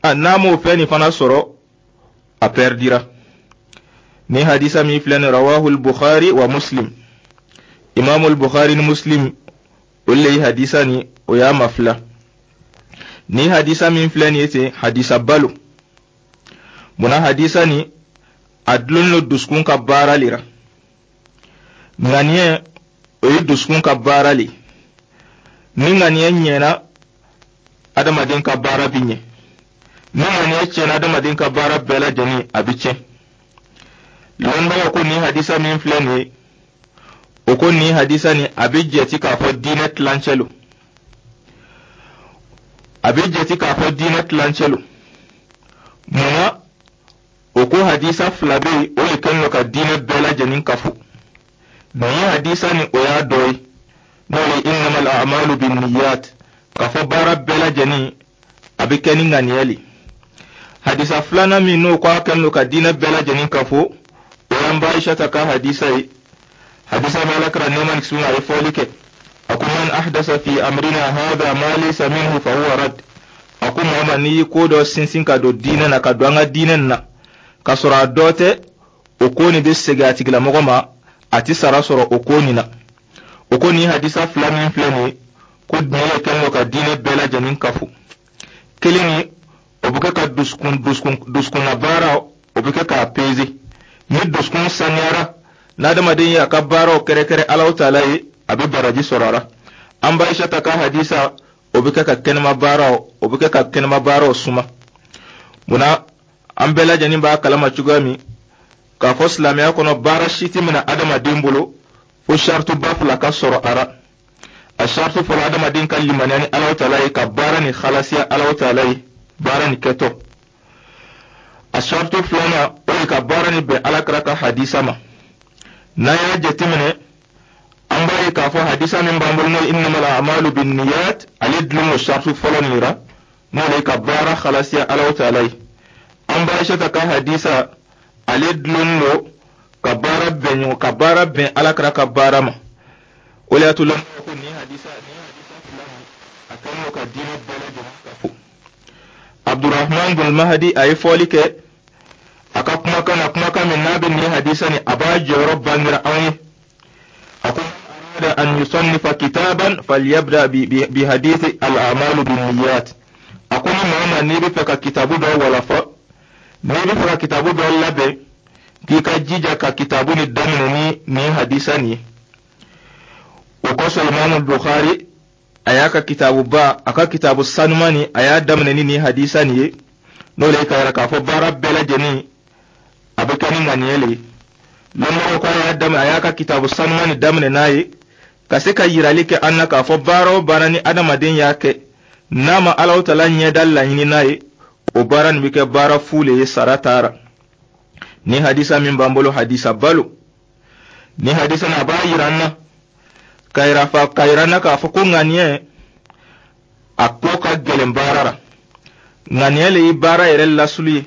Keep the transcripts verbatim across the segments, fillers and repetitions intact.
A n'a m'o fɛn nin fana sɔrɔ, a pɛridira. Ni hadisa min filɛ nin, رواه البخاري ومسلم. Imamul Bukhari ni Muslim, olu le ye hadisa ni o y'a mafila. Ni hadisa min filɛ nin ye ten, hadisa balo munna hadisa ni a dulonnen don dusukun ka baara le ra. Ŋaniya, o ye dusukun ka baara le. Ni ŋaniya ɲɛna, adamaden ka baara bi ɲɛ. Ni ŋaniya tiɲɛna, adamaden ka baara bɛɛ lajɛlen a bi tiɲɛ. Lɔnnibagaw ko nin hadisa min filɛ nin ye, o ko nin hadisa nin a bɛ jɛti k'a fɔ diinɛ tilancɛ lo. A bɛ jɛti k'a fɔ diinɛ tilancɛ lo. Munna? O ko hadisa fila bɛ yen, o de kɛlen don ka diinɛ bɛɛ lajɛlen kafo. Nin ye hadisa nin, o y'a dɔ ye, n'o ye إنما الأعمال بالنيات, k'a fɔ baara bɛɛ lajɛlen a bɛ kɛ ni ŋaniya le. Hadisa filanan min n'o ko a kɛlen don ka diinɛ bɛɛ lajɛlen kafo, o y'an ba Aishata ka hadisa ye. Hadisa min Ala kira, nɛɛma ni kisi, a ye fɔli kɛ, a ko: من أحدث في أمرنا هذا ما ليس منه فهو رد. A ko maa ma n'i ye ko dɔ sinsin ka don diinɛ na, ka don an ka diinɛ na, ka sɔrɔ a dɔ tɛ, o ko nin bɛ segin a tigilamɔgɔ ma, a ti sara sɔrɔ o ko nin na. O ko nin hadisa fila min filɛ nin ye, ko diinɛ kɛlen don ka diinɛ bɛɛ lajɛlen kafo. Kelen ni o bɛ kɛ ka dusukun dusukun dusukunna baara, o bɛ kɛ k'a peze. Ni dusukun saniyara, n'adamaden ye a ka baaraw kɛrɛkɛrɛ Alahu Taala ye, a bɛ baraji sɔrɔ a la. An ba Aishata ka hadisa, o bɛ kɛ ka kɛnɛma baaraw, o bɛ kɛ ka kɛnɛma baaraw suma. Munna? An bɛɛ lajɛlen b'a kalama cogoya min k'a fɔ silamɛya kɔnɔ, baara si tɛ minɛ adamaden bolo fo sarituba fila ka sɔrɔ a ra. A saritu fɔlɔ, adamaden ka limaniya ni Alahu Taala ye, ka baara ni halasiya Alahu Taala ye baara ni kɛtɔ. A saritu filanan, o ye ka baara ni bɛn Alakira ka hadisa ma. N'an y'a jateminɛ, an b'a ye k'a fɔ hadisa min b'an bolo, n'o ye إنما الأعمال بالنيات, ale dulon o saritu fɔlɔ nin ra, n'o ye ka baara halasiya Alahu Taala ye. An ba Aishata ka hadisa, ale dulon don ka baara bɛn ɲɔgɔn, ka baara bɛn Alakira ka baara ma. O de y'a to lɔnnibaw ko nin hadisa nin hadisa fila nin, a kɛlen don ka diinɛ bɛɛ lajɛlen kafo. Abdurahman bin Mahadi, a ye fɔli kɛ a ka kumakan na, kumakan min n'a bɛ nin hadisa nin, a b'a jɔyɔrɔ bangera anw ye. A ko: أراد أن يصنف كتابا فليبدأ بحديث الأعمال بالنيات. A ko ni maa ma n'i bɛ fɛ ka kitabu dɔ walafa, n'i bɛ fɛ ka kitabu dɔ labɛn, k'i ka jija ka kitabu ni daminɛ ni nin hadisa nin ye. O kosɔn, Imamu Bukhari, a y'a ka kitabuba, a ka kitabu sanuman nin, a y'a daminɛ ni nin hadisa nin ye, n'o le ye ka yira k'a fɔ baara bɛɛ lajɛlen a bɛ kɛ ni ŋaniya le ye. Lɔnbagaw ko a y'a daminɛ, a y'a ka kitabu sanuman nin daminɛ n'a ye, ka se ka yirali kɛ an na k'a fɔ baara o baara ni adamaden y'a kɛ, n'a ma Alahu Taala ɲɛda laɲini n'a ye, o baara nin bɛ kɛ baara fu le ye, sara taara. Ni hadisa min b'an bolo, hadisa balo. Ni hadisa nin, a b'a yira an na ka yira fa ka yira an na k'a fɔ ko ŋaniya, a ko ka gɛlɛn baara la. Ŋaniya le ye baara yɛrɛ lasulu ye.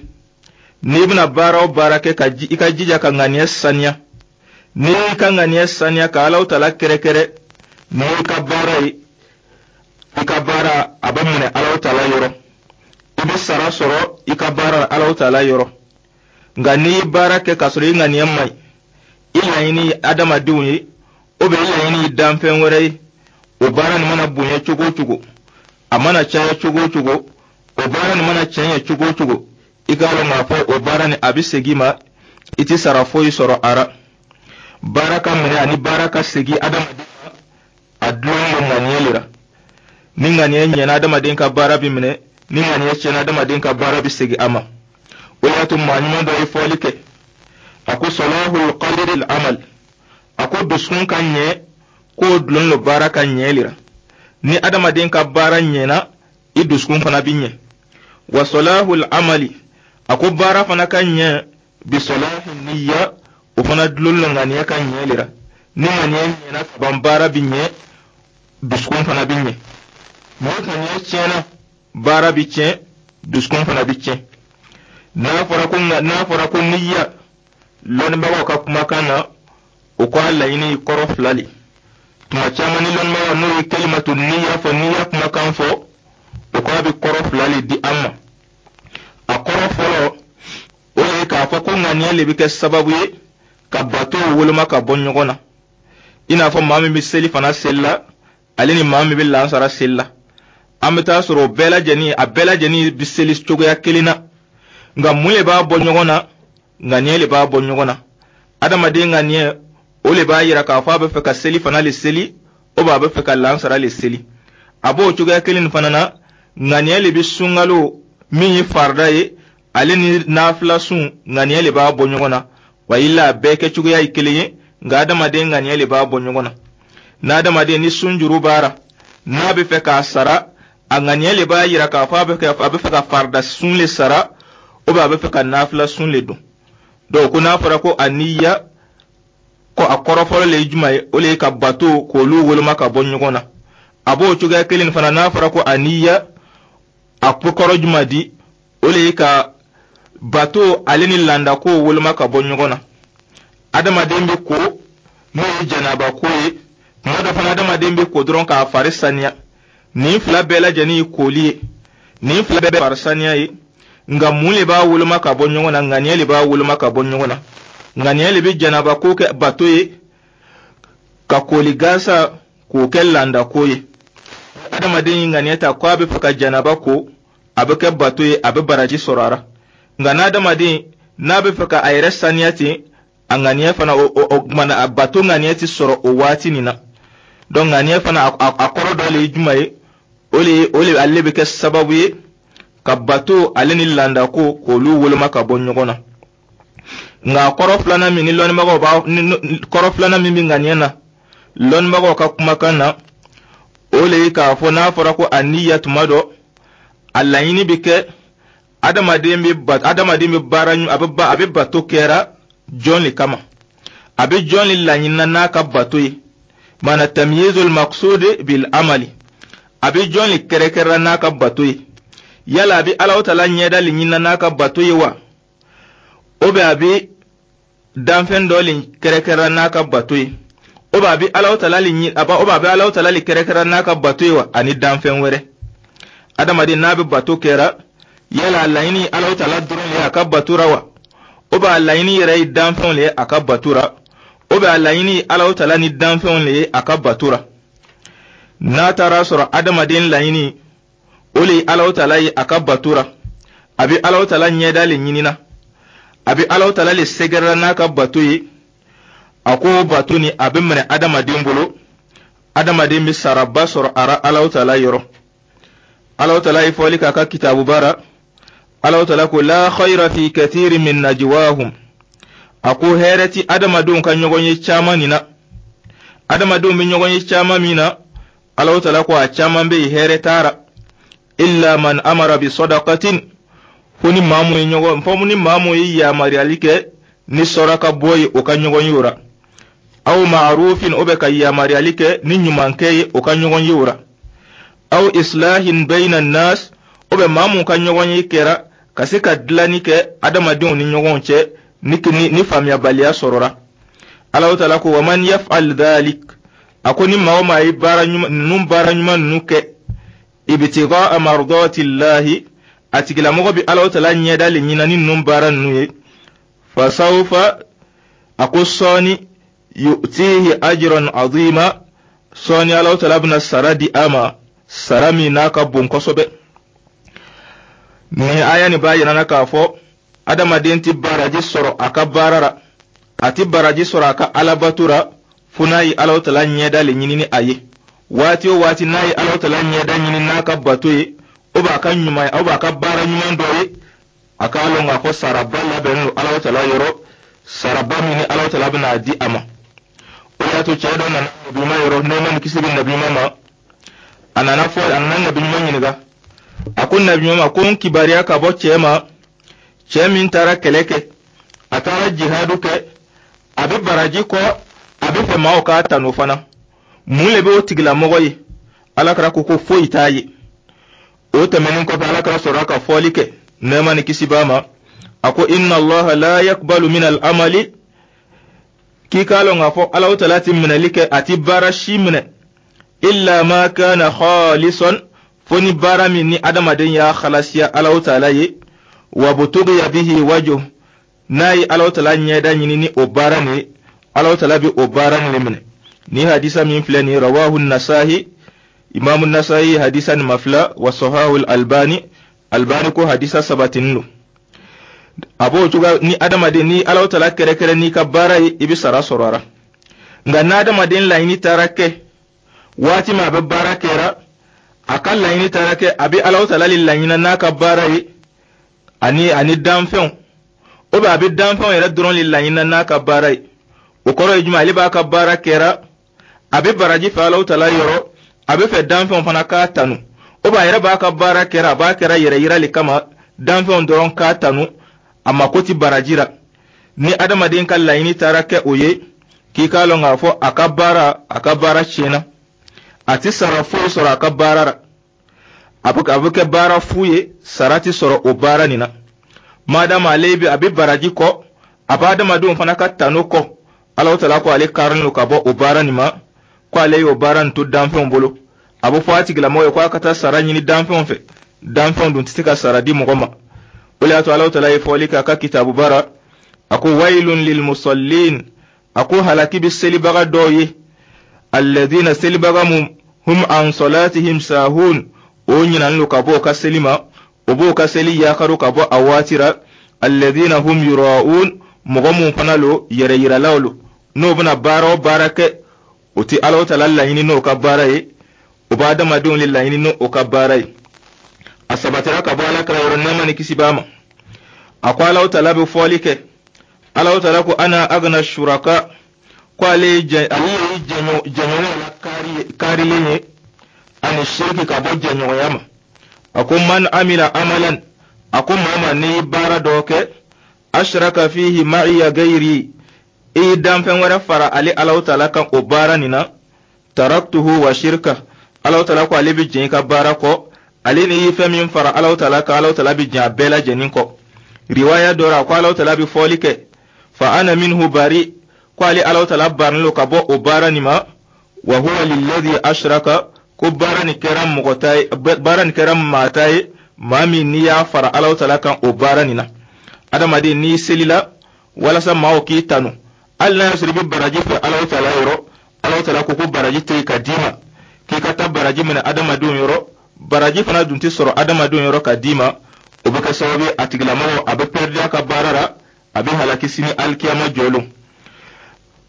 N'i bɛna baara o baara kɛ, ka i ka jija ka ŋaniya saniya. N'i y'i ka ŋaniya saniya ka Alahu Taala kɛrɛkɛrɛ n'i ka baara ye, i ka baara a bɛ minɛ Alahu Taala yɔrɔ, i bɛ sara sɔrɔ i ka baara la Alahu Taala yɔrɔ. Nka n'i ye baara kɛ k'a sɔrɔ i ŋaniya man ɲi, i laɲini ye adamadenw ye, o bɛ i laɲini ye danfɛn wɛrɛ ye, o baara nin mana bonya cogo o cogo, a mana caya cogo o cogo, o baara nin mana cɛɲɛ cogo o cogo, i k'a dɔn k'a fɔ o baara nin a bɛ segin i ma, i tɛ sara foyi sɔrɔ a ra. Baara ka minɛ ani baara ka segin adamaden ma, a dulon don ŋaniya le la. Ni ŋaniya ɲɛna, adamaden ka baara bɛ minɛ. Ni ŋaniya tiɲɛna, adamaden ka baara bɛ segin a ma. O y'a to maa ɲuman dɔ ye fɔli kɛ, a ko: صلاح القلب العمل. A ko dusukun ka ɲɛ, k'o dulon don baara ka ɲɛ le la. Ni adamaden ka baara ɲɛna, i dusukun fana bɛ ɲɛ. وصلاح العمل, a ko baara fana ka ɲɛ, بصلاح النية, o fana dulon don ŋaniya ka ɲɛ le la. Ni ŋaniya ɲɛna ka ban, baara bɛ ɲɛ, dusukun fana bɛ ɲɛ. Ni ŋaniya tiɲɛna, baara bɛ tiɲɛ, dusukun fana bɛ tiɲɛ. n'a fɔra ko n'a fɔra ko niya, lɔnnibagaw ka kumakan na, o ko a laɲini ye kɔrɔ fila le. Tuma caman, ni lɔnnibagaw n'o ye كلمة النية fɔ, niya kumakan fɔ, o ko a bɛ kɔrɔ fila le di an ma. ŋaniya le bɛ kɛ sababu ye ka bato woloma ka bɔ ɲɔgɔn na. I n'a fɔ maa min bɛ seli fana seli la, ale ni maa min bɛ lansara seli la, an bɛ taa sɔrɔ o bɛɛ lajɛlen, a bɛɛ lajɛlen bɛ seli cogoya kelen na, nka mun le b'a bɔ ɲɔgɔn na? Ŋaniya le b'a bɔ ɲɔgɔn na. Adamaden ŋaniya, o le b'a yira k'a fɔ a bɛ fɛ ka seli fana le seli, o b'a bɛ fɛ ka lansara le seli. A b'o cogoya kelen nin fana na, ŋaniya le bɛ sunkalo min ye farida ye, ale ni nafila sun, ŋaniya le b'a bɔ ɲɔgɔn na. Wa ila a bɛɛ kɛcogoya ye kelen ye, nka adamaden ŋaniya le b'a bɔ ɲɔgɔn na. N'adamaden ni sunjuru b'a ra, n'a bɛ fɛ k'a sara, a ŋaniya le b'a yira k'a fɔ a bɛ a bɛ fɛ ka farida sun le sara, ou bien a bɛ fɛ ka nafila sun le don. Donc ko n'a fɔra ko a niya, ko a kɔrɔ fɔlɔ le ye jumɛn ye? O le ye ka bato k'olu woloma ka bɔ ɲɔgɔn na. A b'o cogoya kelen fana, n'a fɔra ko a niya, a ko kɔrɔ jumɛn di? O le ye ka bato ale ni landako woloma ka bɔ ɲɔgɔn na. Adamaden bɛ ko, n'o ye janaba ko ye, tuma dɔ fana adamaden bɛ ko dɔrɔn k'a fari saniya. Nin fila bɛɛ lajɛlen ye koli ye, nin fila bɛɛ fari saniya ye, nka mun le b'a woloma ka bɔ ɲɔgɔn na? Ŋaniya le b'a woloma ka bɔ ɲɔgɔn na. Ŋaniya le bɛ janaba ko kɛ bato ye, ka koli gansa k'o kɛ landako ye. Adamaden ye ŋaniya ta ko a bɛ fɛ ka janaba ko, a bɛ kɛ bato ye, a bɛ baraji sɔrɔ a ra. Nka n'adamaden n'a bɛ fɛ ka a yɛrɛ saniya ten, a ŋaniya fana, o o kumana a bato ŋaniya ti sɔrɔ o waati nin na. Donc ŋaniya fana, a kɔrɔ dɔ le ye jumɛn ye? O le ye, o le ale bɛ kɛ sababu ye ka bato ale ni landako k'olu woloma ka bɔ ɲɔgɔn na. Nka kɔrɔ filanan min ni lɔnnibagaw b'a, kɔrɔ filanan min bɛ ŋaniya na lɔnnibagaw ka kumakan na, o le ye k'a fɔ n'a fɔra ko a niya, tuma dɔ a laɲini bɛ kɛ adamaden bɛ ba adamaden bɛ baara, a bɛ ba a bɛ bato kɛra jɔn le kama, a bɛ jɔn le laɲinina n'a ka bato ye. Mana tamyizul maqsud bil amali, a bɛ jɔn le kɛrɛkɛrɛra n'a ka bato ye? Yala a bɛ Alahu Taala ɲɛda le ɲinina n'a ka bato ye wa, o bɛ a bɛ danfɛn dɔ le kɛrɛkɛrɛra n'a ka bato ye, o bɛ a bɛ Alahu Taala le ɲi a o bɛ a bɛ Alahu Taala le kɛrɛkɛrɛra n'a ka bato ye wa, ani danfɛn wɛrɛ? Adamaden n'a bɛ bato kɛra, yala a laɲini Alahu Taala dɔrɔn le ye a ka bato ra wa, o bɛ a laɲini yɛrɛ ye danfɛnw le ye a ka bato ra, o bɛ a laɲini Alahu Taala ni danfɛnw le ye a ka bato ra? N'a taara sɔrɔ adamaden laɲini o le ye Alahu Taala ye a ka bato ra, a bɛ Alahu Taala ɲɛda le ɲinina, a bɛ Alahu Taala le sɛgɛrɛla n'a ka bato ye, a ko bato ni a bɛ minɛ adamaden bolo, adamaden bɛ saraba sɔrɔ a ra Alahu Taala yɔrɔ. Alahu Taala ye fɔli k'a ka kitabuba ra. Alahu Taala ko: la khayra fi kathiri min najwahum. A ko hɛrɛ ti adamadenw ka ɲɔgɔn ye caman nin na. Adamadenw bɛ ɲɔgɔn ye caman min na, Alahu Taala ko a caman bɛ yen, hɛrɛ t'a ra. Illa man amara bi sadaqatin, fo ni maa mun ye ɲɔgɔn fo ni maa mun ye yamaruyali kɛ ni sɔraka bɔ ye o ka ɲɔgɔn ye o ra, aw ma'rufin, o bɛ ka yamaruyali kɛ ni ɲumankɛ ye o ka ɲɔgɔn ye o ra, aw islahin bayna nas, o bɛ maa mun ka ɲɔgɔn ye kɛra ka se ka dilanni kɛ adamadenw ni ɲɔgɔn cɛ ni ni, ni faamuyabaliya sɔrɔra. Alahu Taala ko: wa man yaf'al dhalik, a ko ni maa o maa ye baara ɲuman ninnu, baara ɲuman ninnu kɛ, ibtigaa mardatillahi, a tigilamɔgɔ bɛ Alahu Taala ɲɛda le ɲina ni ninnu baara ninnu ye, fasawfa, a ko sɔɔni, yu'tihi ajran azima, sɔɔni Alahu Taala bɛna sara di a ma, sara min n'a ka bon kosɛbɛ. Nin aya nin b'a yira na k'a fɔ adamaden tɛ baraji sɔrɔ a ka baara ra, a tɛ baraji sɔrɔ a ka alabato ra, fo n'a ye Alahu Taala ɲɛda le ɲini ni a ye. Waati o waati n'a ye Alahu Taala ɲɛda ɲini n'a ka bato ye, o b'a ka ɲuman ye, o b'a ka baara ɲuman dɔ ye, a k'a lɔn k'a fɔ saraba labɛnnen don Alahu Taala yɔrɔ, saraba min ni Alahu Taala bɛna di a ma. O y'a to cɛ dɔ nana Nabi yɔrɔ, nɛɛma ni kisi bɛ Nabi ma. A nana fɔ, a nana Nabi ɲuman ɲininka. A ko Nabi ɲuman ma ko: n kibaruya ka bɔ cɛ ma, cɛ min taara kɛlɛ kɛ, a taara jihadu kɛ, a bɛ baraji kɔ, a bɛ fɛ maaw k'a tanu fana, mun le bɛ o tigilamɔgɔ ye? Alakira ko ko foyi t'a ye. O tɛmɛnen kɔfɛ, Alakira sɔrɔla ka fɔli kɛ, nɛɛma ni kisi b'a ma. A ko: inna Allaha la yakbalu min al amali, k'i k'a lɔn k'a fɔ Alahu Taala ti minɛli kɛ, a ti baara si minɛ, illa ma kana khalisan, fo ni baara min ni adamaden y'a halasiya Alahu Taala ye, wa butughiya bihi wajhu. N'a ye Alahu Taala ɲɛda ɲini ni o baara nin ye, Alahu Taala bɛ o baara nin minɛ. Ni hadisa min filɛ nin ye, rawahu Nasahi, Imamu Nasahi hadisa nin mafila, wa sahahu Albani, Albani ko hadisa sabatinin don. A b'o cogoya ni adamaden ni Alahu Taala kɛrɛkɛrɛ n'i ka baara ye, i bɛ sara sɔrɔ a la. Nka n'adamaden laɲini taara kɛ waati min a bɛ baara kɛra, a ka laɲini taara kɛ a bɛ Alahu Taala le laɲina n'a ka baara ye ani ani danfɛnw, o bɛ a bɛ danfɛnw yɛrɛ dɔrɔn le laɲina n'a ka baara ye. O kɔrɔ ye jumɛn? Ale b'a ka baara kɛra, a bɛ baraji fɛ Alahu Taala yɔrɔ, a bɛ fɛ danfɛnw fana k'a tanu. O b'a yɛrɛ b'a ka baara kɛra, a b'a kɛra yɛrɛ yira le kama, danfɛnw dɔrɔn k'a tanu, a mako ti baraji la. Ni adamaden ka laɲini taara kɛ o ye, k'i k'a lɔn k'a fɔ a ka baara a ka baara tiɲɛna, a ti sara foyi sɔrɔ a ka baara la. A bɛ a bɛ kɛ baara fu ye, sara ti sɔrɔ o baara nin na. Madama ale bɛ a bɛ baraji kɔ, a bɛ adamadenw fana ka tanu kɔ, Alahu Taala ko ale karilen don ka bɔ o baara nin ma, ko ale y'o baara nin to danfɛnw bolo. A bɛ fɔ a tigilamɔgɔ ye ko a ka taa sara ɲini danfɛnw fɛ, danfɛnw dun tɛ se ka sara di mɔgɔ ma. O de y'a to Alahu Taala ye fɔli kɛ a ka kitabu bara, a ko wailun lilmusallin, a ko halaki bɛ selibaga dɔw ye, alladhina, selibaga mun, hum an salatihim sahun, o ɲinalen don ka bɔ o ka seli ma, o b'o ka seli yakaro ka bɔ a waati ra, alladhina hum yura'un, mɔgɔ mun fana lo yɛrɛ yiralaw lo, n'o bɛna baara o baara kɛ, o ti Alahu Taala laɲini n'o ka baara ye, o b'a adamadenw le laɲini n'o ka baara ye. A sabatira ka bɔ Ala kira yɔrɔ, nɛɛma ni kisi b'a ma, a ko Alahu Taala bɛ fɔli kɛ, Alahu Taala ko ana agna shuraka, ko ale ye jɛ ale ye jɛɲɔgɔn la kaari kaarilen ye ani shiriki, ka bɔ jɛɲɔgɔnya ma. A ko man amila amalan, a ko maa ma n'i ye baara dɔ kɛ, ashraka fihi ma'iya gairi, i ye danfɛn wɛrɛ fara ale Alahu Taala kan o baara nin na, taraktuhu wa shirka, Alahu Taala ko ale bɛ jɛn i ka baara kɔ. Ale ni ye fɛn min fara Alahu Taala kan, Alahu Taala bɛ jɛn a bɛɛ lajɛlen kɔ. Riwaya dɔ la, a ko Alahu Taala bɛ fɔli kɛ, fa ana minhu bari, ko ale Alahu Taala barilen don ka bɔ o baara nin ma, wa huwa lilladhi ashraka, ko baara nin kɛra mɔgɔ ta ye, baara nin kɛra maa ta ye, maa min n'i y'a fara Alahu Taala kan o baara nin na. Adamaden, n'i selila walasa maaw k'i tanu, hali n'a y'a sɔrɔ i bɛ baraji fɛ Alahu Taala yɔrɔ, Alahu Taala ko ko baraji tɛ yen ka d'i ma, k'i ka taa baraji minɛ adamadenw yɔrɔ. Baraji fana dun tɛ sɔrɔ adamadenw yɔrɔ ka d'i ma. O bɛ kɛ sababu ye, a tigilamɔgɔ a bɛ pɛridi a ka baara la, a bɛ halaki sini alikiyama jɔlon.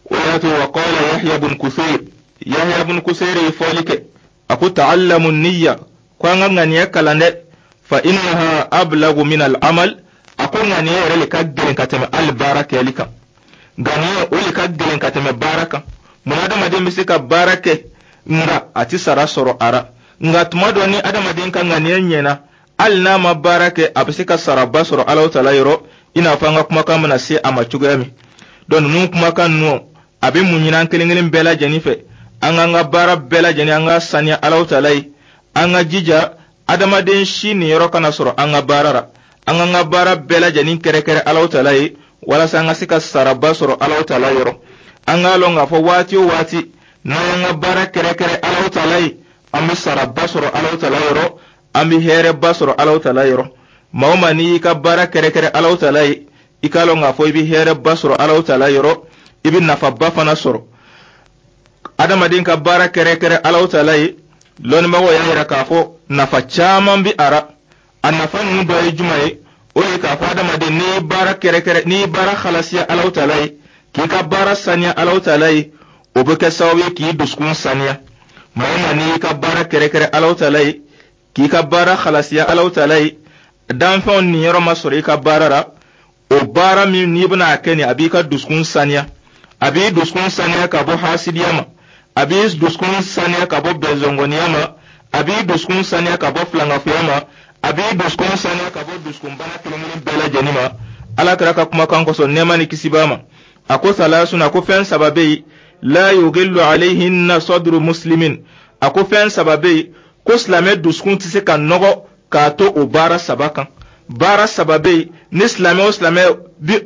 O y'a to wa qala Yahya bun Kusayr, Yahya bun Kusayr ye fɔli kɛ, a ko ta'allamu niyya, ko an ka ŋaniya kalan dɛ, fa innaha ablagu min al-amal, a ko ŋaniya yɛrɛ le ka gɛlɛn ka tɛmɛ hali baara kɛli kan. Ŋaniya o le ka gɛlɛn ka tɛmɛ baara kan. Mun adamaden bɛ se ka baara kɛ, nka a ti sara sɔrɔ a ra? Nka tuma dɔ, ni adamaden ka ŋaniya ɲɛna, hali n'a ma baara kɛ, a bɛ se ka saraba sɔrɔ Alahu Taala yɔrɔ, i n'a fɔ an ka kumakan bɛna se a ma cogoya min. Donc ninnu kumakan ninnu, a bɛ mun ɲini an kelen kelen bɛɛ lajɛlen fɛ? An k'an ka baara bɛɛ lajɛlen, an ka saniya Alahu Taala ye, an ka jija adamaden si niyɔrɔ kana sɔrɔ an ka baara la, an k'an ka baara bɛɛ lajɛlen kɛrɛkɛrɛ Alahu Taala ye, walasa an ka se ka saraba sɔrɔ Alahu Taala yɔrɔ. An k'a lɔn k'a fɔ waati o waati n'an y'an ka baara kɛrɛkɛrɛ Alahu Taala ye, an bɛ saraba sɔrɔ Alahu Taala yɔrɔ, an bɛ hɛrɛba sɔrɔ Alahu Taala yɔrɔ. Maa o maa n'i y'i ka baara kɛrɛkɛrɛ Alahu Taala ye, i k'a lɔn k'a fɔ i bɛ hɛrɛba sɔrɔ Alahu Taala yɔrɔ, i bɛ nafaba fana sɔrɔ. Adamaden ka baara kɛrɛkɛrɛ Alahu Taala ye, lɔnnibagaw y'a yira k'a fɔ nafa caman bɛ a ra. A nafa ninnu dɔ ye jumɛn ye? O ye k'a fɔ adamaden, n'i ye baara kɛrɛkɛrɛ, n'i ye baara halasiya Alahu Taala ye, k'i ka baara saniya Alahu Taala ye, o bɛ kɛ sababu ye k'i dusukun saniya. Maa o maa n'i y'i ka baara kɛrɛkɛrɛ Alahu Taala ye, k'i ka baara halasiya Alahu Taala ye, danfɛnw niyɔrɔ ma sɔrɔ i ka baara la, o baara min n'i bɛna a kɛ nin, a b'i ka dusukun saniya, a b'i dusukun saniya ka bɔ hasidiya ma, a b'i dusukun saniya ka bɔ bɛnzɔngɔniya ma, a b'i dusukun saniya ka bɔ filankafoya ma, a b'i dusukun saniya ka bɔ dusukunbana kelen kelen bɛɛ lajɛlen ma. Ala kɛra ka kumakan kosɔn, nɛɛma ni kisi b'a ma, a ko salasun, a ko fɛn saba bɛ yen, la yughillu alayhinna sadru muslimin, a ko fɛn saba bɛ yen ko silamɛ dusukun tɛ se ka nɔgɔ k'a to o baara saba kan. Baara saba bɛ yen, ni silamɛ o silamɛ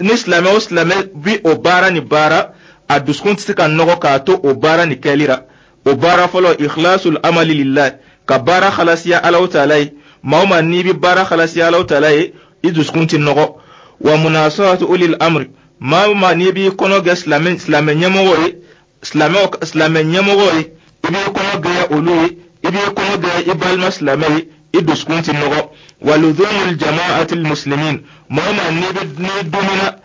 ni silamɛ o silamɛ bi o baara ni baara, a dusukun tɛ se ka nɔgɔ k'a to o baara ni kɛli la. O baara fɔlɔ, ikhlasul amali lillahi, ka baara halasiya Alahu Taala ye. Maa o maa n'i bɛ baara halasiya Alahu Taala ye, i dusukun tɛ nɔgɔ. Wa munasahatu ulil amri, maa o maa n'i b'i kɔnɔ gɛ silamɛ silamɛ ɲɛmɔgɔ ye, silamɛ silamɛ ɲɛmɔgɔ ye, i b'i kɔnɔ gɛya olu ye, i b'i kɔnɔ gɛya i balima silamɛ ye, i dusukun ti nɔgɔ. Wa luzumul jama'atil muslimin, maa o maa n'i bɛ n'i dumina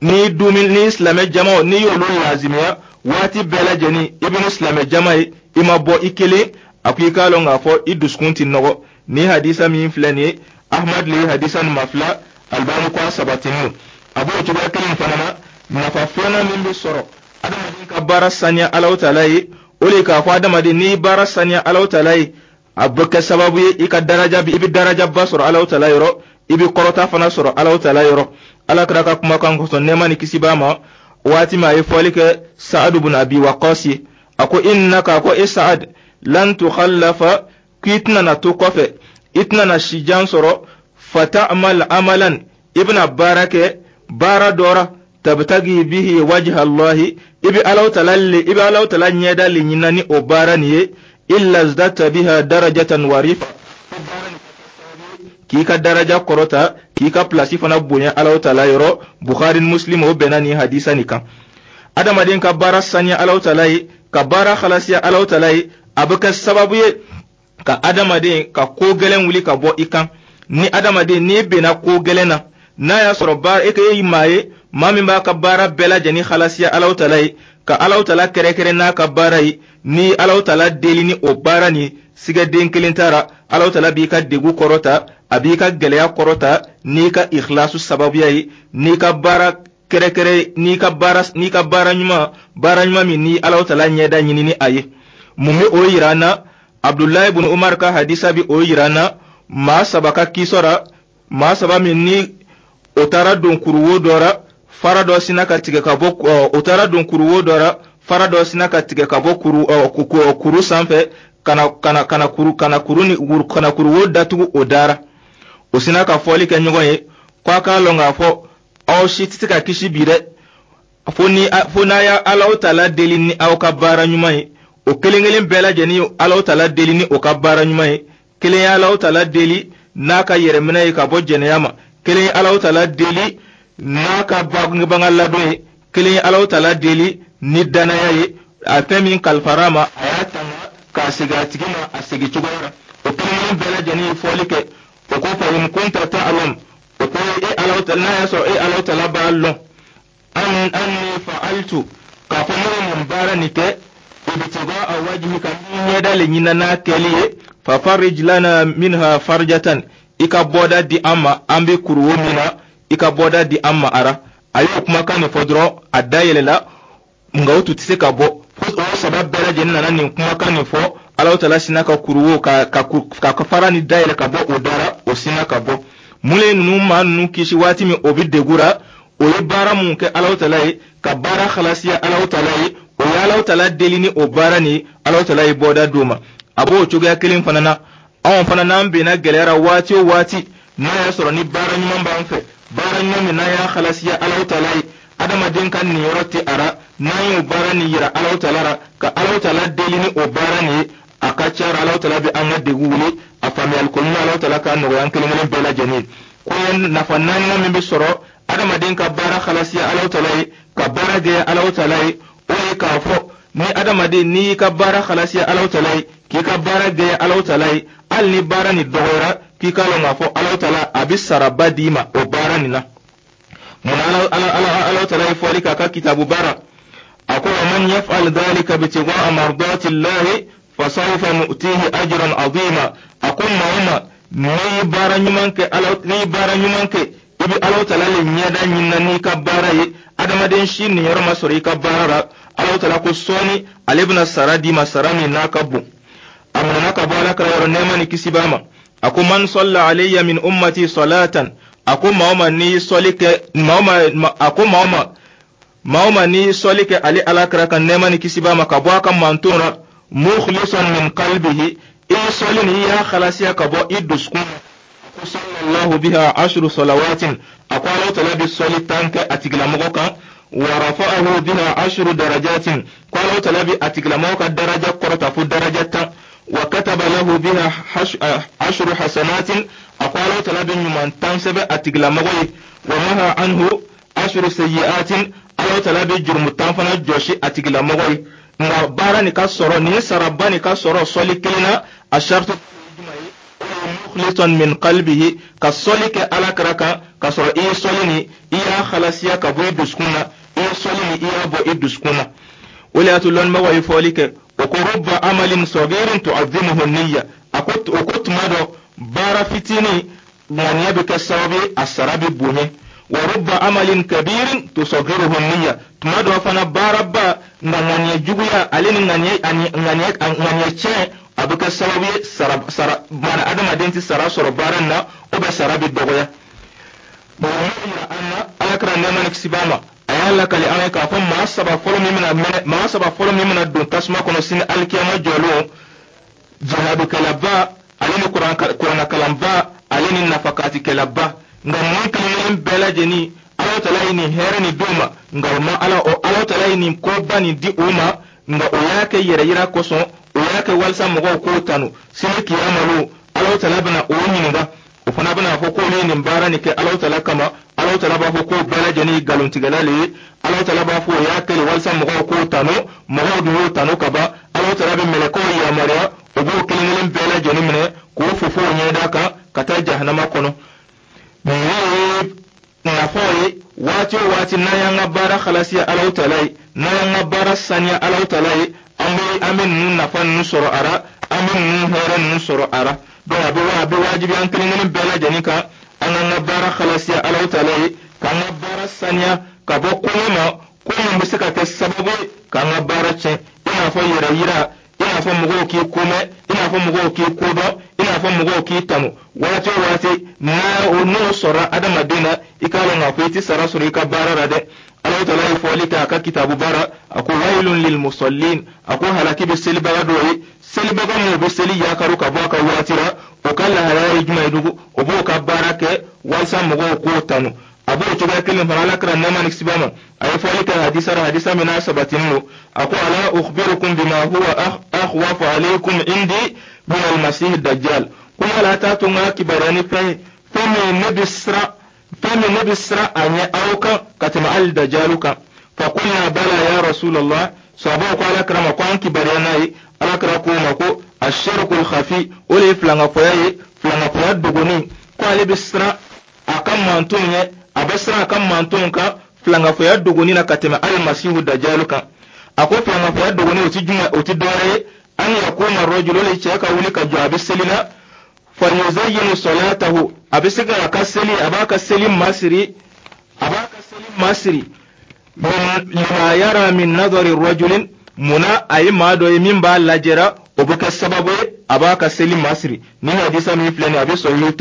n'i dumi ni silamɛ jamaw, n'i y'olu lazimiya waati bɛɛ lajɛlen, i bɛ ni silamɛ jama ye, i ma bɔ i kelen, a ko i k'a lɔn k'a fɔ i dusukun ti nɔgɔ. Ni hadisa min filɛ nin ye, Ahmad le ye hadisa nin ma fila, Albani ko a sabatinin. A b'o cogoya kelen fana na. Nafa filanan min bɛ sɔrɔ adamaden ka baara saniya Alahu Taala ye, o de ye k'a fɔ adamaden n'i baara saniya Alahu Taala ye, a bɛ kɛ sababu ye i ka daraja i bɛ darajaba sɔrɔ Alahu Taala yɔrɔ, i bɛ kɔrɔta fana sɔrɔ Alahu Taala yɔrɔ. Ala kira ka kumakan kosɔn, nɛɛma ni kisi b'a ma, waati min a ye fɔli kɛ Saadu bun Abi Waqas ye, a ko: innaka, a ko e Saad, lan tukhallafa, k'i tɛna na to kɔfɛ, i tɛna na sijan sɔrɔ, fata'mal amalan, i bɛna baara kɛ baara dɔ ra, tabtagi bihi wajha Allahi, i bɛ Alahu Taala le i bɛ Alahu Taala ɲɛda le ɲinina ni o baara nin ye, illa zdata biha darajatan wa rifa, k'i ka daraja kɔrɔta, k'i ka pilasi fana bonya Alahu Taala yɔrɔ. Bukhari ni Muslim o bɛnna nin hadisa nin kan. Adamaden ka baara saniya Alahu Taala ye, ka baara halasiya Alahu Taala ye, a bɛ kɛ sababu ye ka adamaden ka ko gɛlɛn wuli ka bɔ i kan. Ni adamaden n'i benna ko gɛlɛn na, n'a y'a sɔrɔ baara e ye maa ye, maa min b'a ka baara bɛɛ lajɛlen halasiya Alahu Taala ye, ka Alahu Taala kɛrɛkɛrɛ n'a ka baara ye, ni Alahu Taala deli ni o baara nin sigɛden kelen taara, Alahu Taala b'i ka degu kɔrɔta, a b'i ka gɛlɛya kɔrɔta n'i ka ikhlasu sababuya ye, n'i ka baara kɛrɛkɛrɛ, n'i ka baara n'i ka baara ɲuman, baara ɲuman min ni Alahu Taala ɲɛda ɲini ni a ye. Mun bɛ o yira an na? Abdulayi bun Umar ka hadisa bi o yira an na. Maa saba ka kisɔra, maa saba min ni o taara don kuruwo dɔ ra, fara dɔ sina ka tigɛ ka bɔ, o taara don kuruwo dɔ ra, fara dɔ sina ka tigɛ ka bɔ kuru kuru sanfɛ kana kana kana kuru kana kuru ni kana kuruwo datugu o dara. O sina ka fɔli kɛ ɲɔgɔn ye ko a k'a lɔn k'a fɔ aw si tɛ se ka kisi bi dɛ, fo ni fo n'a y'a Alahu Taala deli ni aw ka baara ɲuman ye. O kelen kelen bɛɛ lajɛlen ye Alahu Taala deli ni o ka baara ɲuman ye. Kelen ye Alahu Taala deli n'a ka yɛrɛminɛ ye ka bɔ jɛnɛya ma, kelen ye Alahu Taala deli n'a ka bangebaga ladon ye, kelen ye Alahu Taala deli ni danaya ye, a fɛn min kalifara a ma, a y'a tanga k'a segin a tigi ma a segin cogoya la. O kelen kelen bɛɛ lajɛlen ye fɔli kɛ. O ko: fa in kunta ta'lam, o ko e Alahu Taala, n'a y'a sɔrɔ e Alahu Taala b'a lɔn, an anni fa'altu, k'a fɔ ne ye nin baara nin kɛ, ibtigaa wajhika, ni ɲɛda le ɲinina n'a kɛli ye, fa farij lana minha farjatan, i ka bɔda di an ma, an bɛ kuruwo min na, i ka bɔda di an ma. Ara a y'o kumakan nin fɔ dɔrɔn, a da yɛlɛla, nka o tun tɛ se ka bɔ. Fo o saba bɛɛ lajɛlen nana nin kumakan nin fɔ, Alahu Taala sina ka kuruwo ka ka ka fara ni dayɛlɛ ka bɔ o dara, o sina ka bɔ. Mun ye ninnu maa ninnu kisi waati min o bɛ degun ra? O ye baara mun kɛ Alahu Taala ye, ka baara halasiya Alahu Taala ye, o ye Alahu Taala deli ni o baara nin, Alahu Taala ye bɔda d'o ma. A b'o cogoya kelen fana na. Anw fana n'an benna gɛlɛyara waati o waati, n'a y'a sɔrɔ ni baara ɲuman b'an fɛ, baara ɲuman min n'an y'a halasiya Alahu Taala ye, adamaden ka niyɔrɔ tɛ a ra, n'an y'o baara nin yira Alahu Taala la, ka Alahu Taala deli ni o baara nin ye, a ka ca la Alahu Taala bɛ an ka degun wuli. A faamuyali ko ɲuman, Alahu Taala k'a nɔgɔya an kelen kelen bɛɛ lajɛlen ye. Ko nafa naaninan min bɛ sɔrɔ adamaden ka baara halasiya Alahu Taala ye, ka baara kɛ Alahu Taala ye, o ye k'a fɔ ni adamaden n'i y'i ka baara halasiya Alahu Taala ye, k'i ka baara gɛlɛya Alahu Taala ye, hali ni baara nin dɔgɔyara, k'i k'a lɔn k'a fɔ Alahu Taala a bɛ saraba d'i ma o baara nin na. Munna? ala ala ala Alahu Taala ye fɔli k'a ka kitabu baara, a ko: wa man yaf'al dhalika ibtigha'a mardati llahi fasawfa nu'tihi ajran azima. A ko maa o maa n'i ye baara ɲuman kɛ ala n'i ye baara ɲuman kɛ, i bɛ Alahu Taala le ɲɛda ɲinina n'i ka baara ye, adamaden si niyɔrɔ ma sɔrɔ i ka baara la, Alahu Taala ko sɔɔni ale bɛna sara d'i ma, sara min n'a ka bon. A minɛna ka bɔ ala kira yɔrɔ, nɛɛma ni kisi b'a ma, a ko: man salla alayya min ummati salatan, a ko maa o maa n'i sɔli kɛ, maa o maa, a ko maa o maa maa o maa n'i sɔli kɛ ale ala kira kan, nɛɛma ni kisi b'a ma, ka bɔ a ka manton na, mukhlisan min qalbihi, i sɔli ni i y'a halasiya ka bɔ i dusukun na, ko sallallahu biha ashru salawatin, a ko Alahu Taala bɛ sɔli tan kɛ a tigilamɔgɔ kan, wa rafa'ahu biha ashru darajatin, ko Alahu Taala bɛ a tigilamɔgɔ ka daraja kɔrɔta fo daraja tan, wa kataba lahu biha ashru hasanatin, a ko Alahu Taala bɛ ɲuman tan sɛbɛn a tigilamɔgɔ ye. Wa maha anhu ashru sayyi'atin, Ala tala bɛ jurumu tan fana jɔsi a tigilamɔgɔ ye. Nka baara nin ka sɔrɔ, nin saraba nin ka sɔrɔ sɔli kelen na, a saritu mukhlisan min qalbihi, ka sɔli kɛ Ala kira kan ka sɔrɔ i ye sɔli nin, i y'a halasiya ka bɔ i dusukun na, i ye sɔli nin, i y'a bɔ i dusukun na. O de y'a to lɔnnibagaw ye fɔli kɛ, o ko rubba amalin sagirin tu'azzimuhu niyya. A ko o ko tuma dɔ, baara fitinin ŋaniya bɛ kɛ sababu ye, a sara bɛ bonya. Wa rubba amalin kabirin tusagiruhu niyya, tuma dɔ fana baaraba, nka ŋaniya juguya ale ni ŋaniya ani ŋaniya ŋaniya tiɲɛ, a bɛ kɛ sababu ye sara sara maana adamaden tɛ sara sɔrɔ baara in na, o bɛ sara bɛ dɔgɔya. Bon, o yira an na, Ala kɛra nɛɛma ni kisi b'a ma, a y'a lakali an ye k'a fɔ maa saba fɔlɔ min bɛna mɛnɛ, maa saba fɔlɔ min bɛna don tasuma kɔnɔ sini alikiyama jɔlon, jihadukɛlaba ale ni kuranakalanba ale ni nafakatikɛlaba. Nka ninnu kelen kelen bɛɛ lajɛlen, Ala tala ye nin hɛrɛ nin d'u ma, nka o ma Ala o Ala tala ye nin koba nin di u ma, nka o y'a kɛ yɛrɛ yira kosɔn, o y'a kɛ walasa mɔgɔw k'o tanu. Sini kiyama lon, Ala tala bɛna o ɲininka, o fana bɛna fɔ k'olu ye nin baara nin kɛ Ala tala kama. Ala tala b'a fɔ k'o bɛɛ lajɛlen ye nkalontigɛla le ye. Ala tala b'a fɔ o y'a kɛ walasa mɔgɔw k'o tanu, mɔgɔw dun y'o tanu ka ban. Ala tala bɛ mɛlɛkɛw yamaruya, o b'o kelen kelen bɛɛ lajɛlen minɛ k'o fofo o ɲɛda kan ka taa jahanama kɔnɔ. Nin ye nafaw ye. Waati o waati n'an y'an ka baara halasiya Alahu tala ye, n'an y'an ka baara saniya Alahu tala ye, an bɛ an bɛ ninnu nafa ninnu sɔrɔ a la, an bɛ ninnu hɛrɛ ninnu sɔrɔ a la. Donc a bɛ a bɛ wajibi an kelen kelen bɛɛ lajɛlen kan, an k'an ka baara halasiya Alahu tala ye, k'an ka baara saniya ka bɔ koɲɛ ma, ko min bɛ se ka kɛ sababu ye k'an ka baara tiɲɛ, i n'a fɔ yɛrɛ yira, i n'a fɔ mɔgɔw k'i komɛn, i n'a fɔ mɔgɔw k'i kodɔn, i n'a fɔ mɔgɔw k'i tanu. Waati o waati n'a o n'o sɔrɔ adamaden na, i k'a lɔn k'a fɔ i tɛ sara sɔrɔ i ka baara la dɛ. Alahu tala ye fɔli kɛ a ka kitabu baara, a ko wailun lil musallin, a ko halaki bɛ selibaga dɔw ye, selibaga minnu bɛ seli yakaru ka bɔ a ka waati la. O ka lahalaya ye jumɛn ye dugu? O b'o ka baara kɛ walasa mɔgɔw k'o tanu. A b'o cogoya kelen fana, Ala kɛra nɛɛma ni kisi b'a ma, a ye fɔli kɛ hadisa la, hadisa min n'a sabatinin don, a ko ala ukhbirukum bima huwa akhwafu alaykum indi min almasih dajjal, ko yala t'a to n ka kibaruya ni fɛn ye, fɛn min ne bɛ siran, fɛn min ne bɛ siran a ɲɛ aw kan ka tɛmɛ hali dajalu kan? Fa qulna bala ya rasulallah. Sahabaw ko Ala kira ma ko an kibaruya n'a ye. Ala kira k'o ma ko ashirkul khafi, o de ye filankafoya ye, filankafoya dogoni. Ko ale bɛ siran a ka mantonw ɲɛ, a bɛ siran a ka mantonw kan filankafoya dogoni na ka tɛmɛ hali masihu dajalu kan. A ko filankafoya dogoni, o ti jumɛn? O ti dɔwɛrɛ ye, an yakuma rajulu, o de cɛ ka wuli ka jɔ, a bɛ seli la, fayuzayyinu salatahu, a bɛ se k'a ka seli, a b'a ka seli masiri, a b'a ka seli masiri, lima yara min nadari rajulin, munna a ye maa dɔ ye min b'a lajɛra, o bɛ kɛ sababu ye a b'a ka seli masiri. Ni hadisa min filɛ nin ye, a bɛ sahihu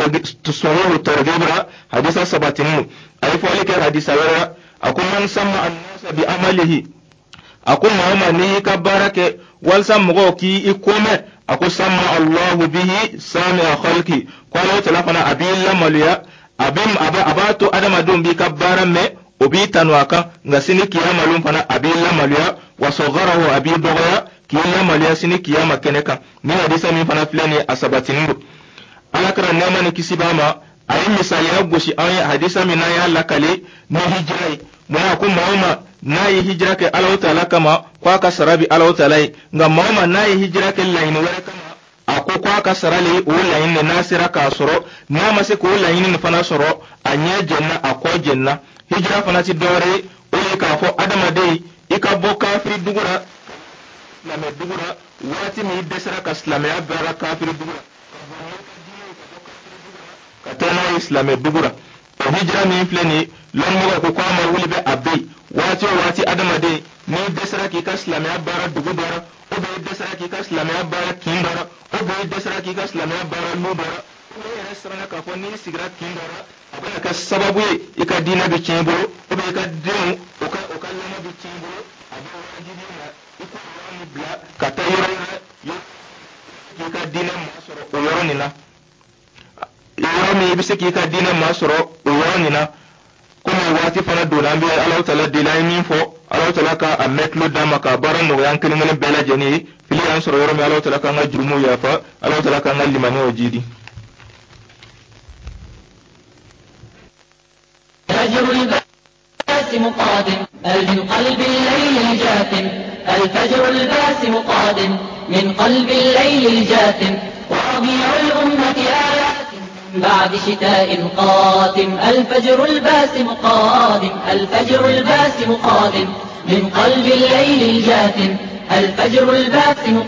targhib la, hadisa sabatinin don. A ye fɔli kɛ hadisa wɛrɛ la, a ko man sama annasa bi amalihi, a ko maa o maa n'i y'i ka baara kɛ walasa mɔgɔw k'i i komɛn, a ko sama allahu bihi sami'a khalqi, ko Alahu tala fana a b'i lamaloya, a bɛ a b'a to adamadenw b'i ka baara mɛn, o b'i tanu a kan, nka sini kiyama lon fana a b'i lamaloya, wa sɔgarahu, a b'i dɔgɔya k'i lamaloya sini kiyama kɛnɛ kan. Ni hadisa min fana filɛ nin ye, a sabatinin don. Ala kɛra nɛɛma ni kisi b'a ma, a ye misaliya gosi an ye hadisa min n'an y'a lakale ni hijira ye. Munna? A ko maa o maa n'a ye hijira kɛ Alahu taala kama, ko a ka sara bi Alahu taala ye, nka maa o maa n'a ye hijira kɛ laɲini wɛrɛ kama, a ko ko a ka sara le o laɲini de n'a sera k'a sɔrɔ, n'a ma se k'o laɲini nin fana sɔrɔ, a ɲɛ jɛnna, a kɔ jɛnna. Hijira fana ti dɔwɛrɛ ye, o ye k'a fɔ adamaden i ka bɔ kafiri dugu la silamɛ dugu la, waati min i dɛsɛra ka silamɛya baara kafiri dugu la, ka taa n'a ye silamɛ dugu la. O hijira min filɛ nin ye, lɔnnimɔgɔw ko k'a ma wuli bɛ a bɛ yen. Waati o waati adamaden n'i dɛsɛra k'i ka silamɛya baara dugu dɔ la, ou bien i dɛsɛra k'i ka silamɛya baara kin dɔ la, ou bien i dɛsɛra k'i ka silamɛya baara lu dɔ la, ou bien i yɛrɛ siranna k'a fɔ n'i sigira kin dɔ la, a bɛna kɛ sababu ye i ka diinɛ bɛ tiɲɛ i bolo, ou bien i ka denw o ka o ka lamɔ bɛ tiɲɛ i bolo, a bɛ wajibi ma i k'o yɔrɔ nin bila ka taa yɔrɔ wɛrɛ k'i ka diinɛ masɔrɔ o yɔrɔ nin na, yɔrɔ min i bɛ se k'i ka diinɛ masɔrɔ o yɔrɔ nin na. Komi waati fana donna, an bɛ Alahu tala deli, an ye min fɔ, Alahu tala ka a mɛn tulo d'an ma k'a baara nɔgɔya an kelen kelen bɛɛ lajɛlen ye. Fili y'an sɔrɔ yɔrɔ min, Alahu tala k'an ka jurumuw yafa, Alahu tala k'an ka limaniyaw jidi. الفجر الباسم قادم من قلب الليل الجاثم، الفجر الباسم قادم من قلب الليل الجاثم، وربيع الأمة آيات بعد شتاء قاتم، الفجر الباسم قادم، الفجر الباسم قادم من قلب الليل الجاثم، الفجر الباسم.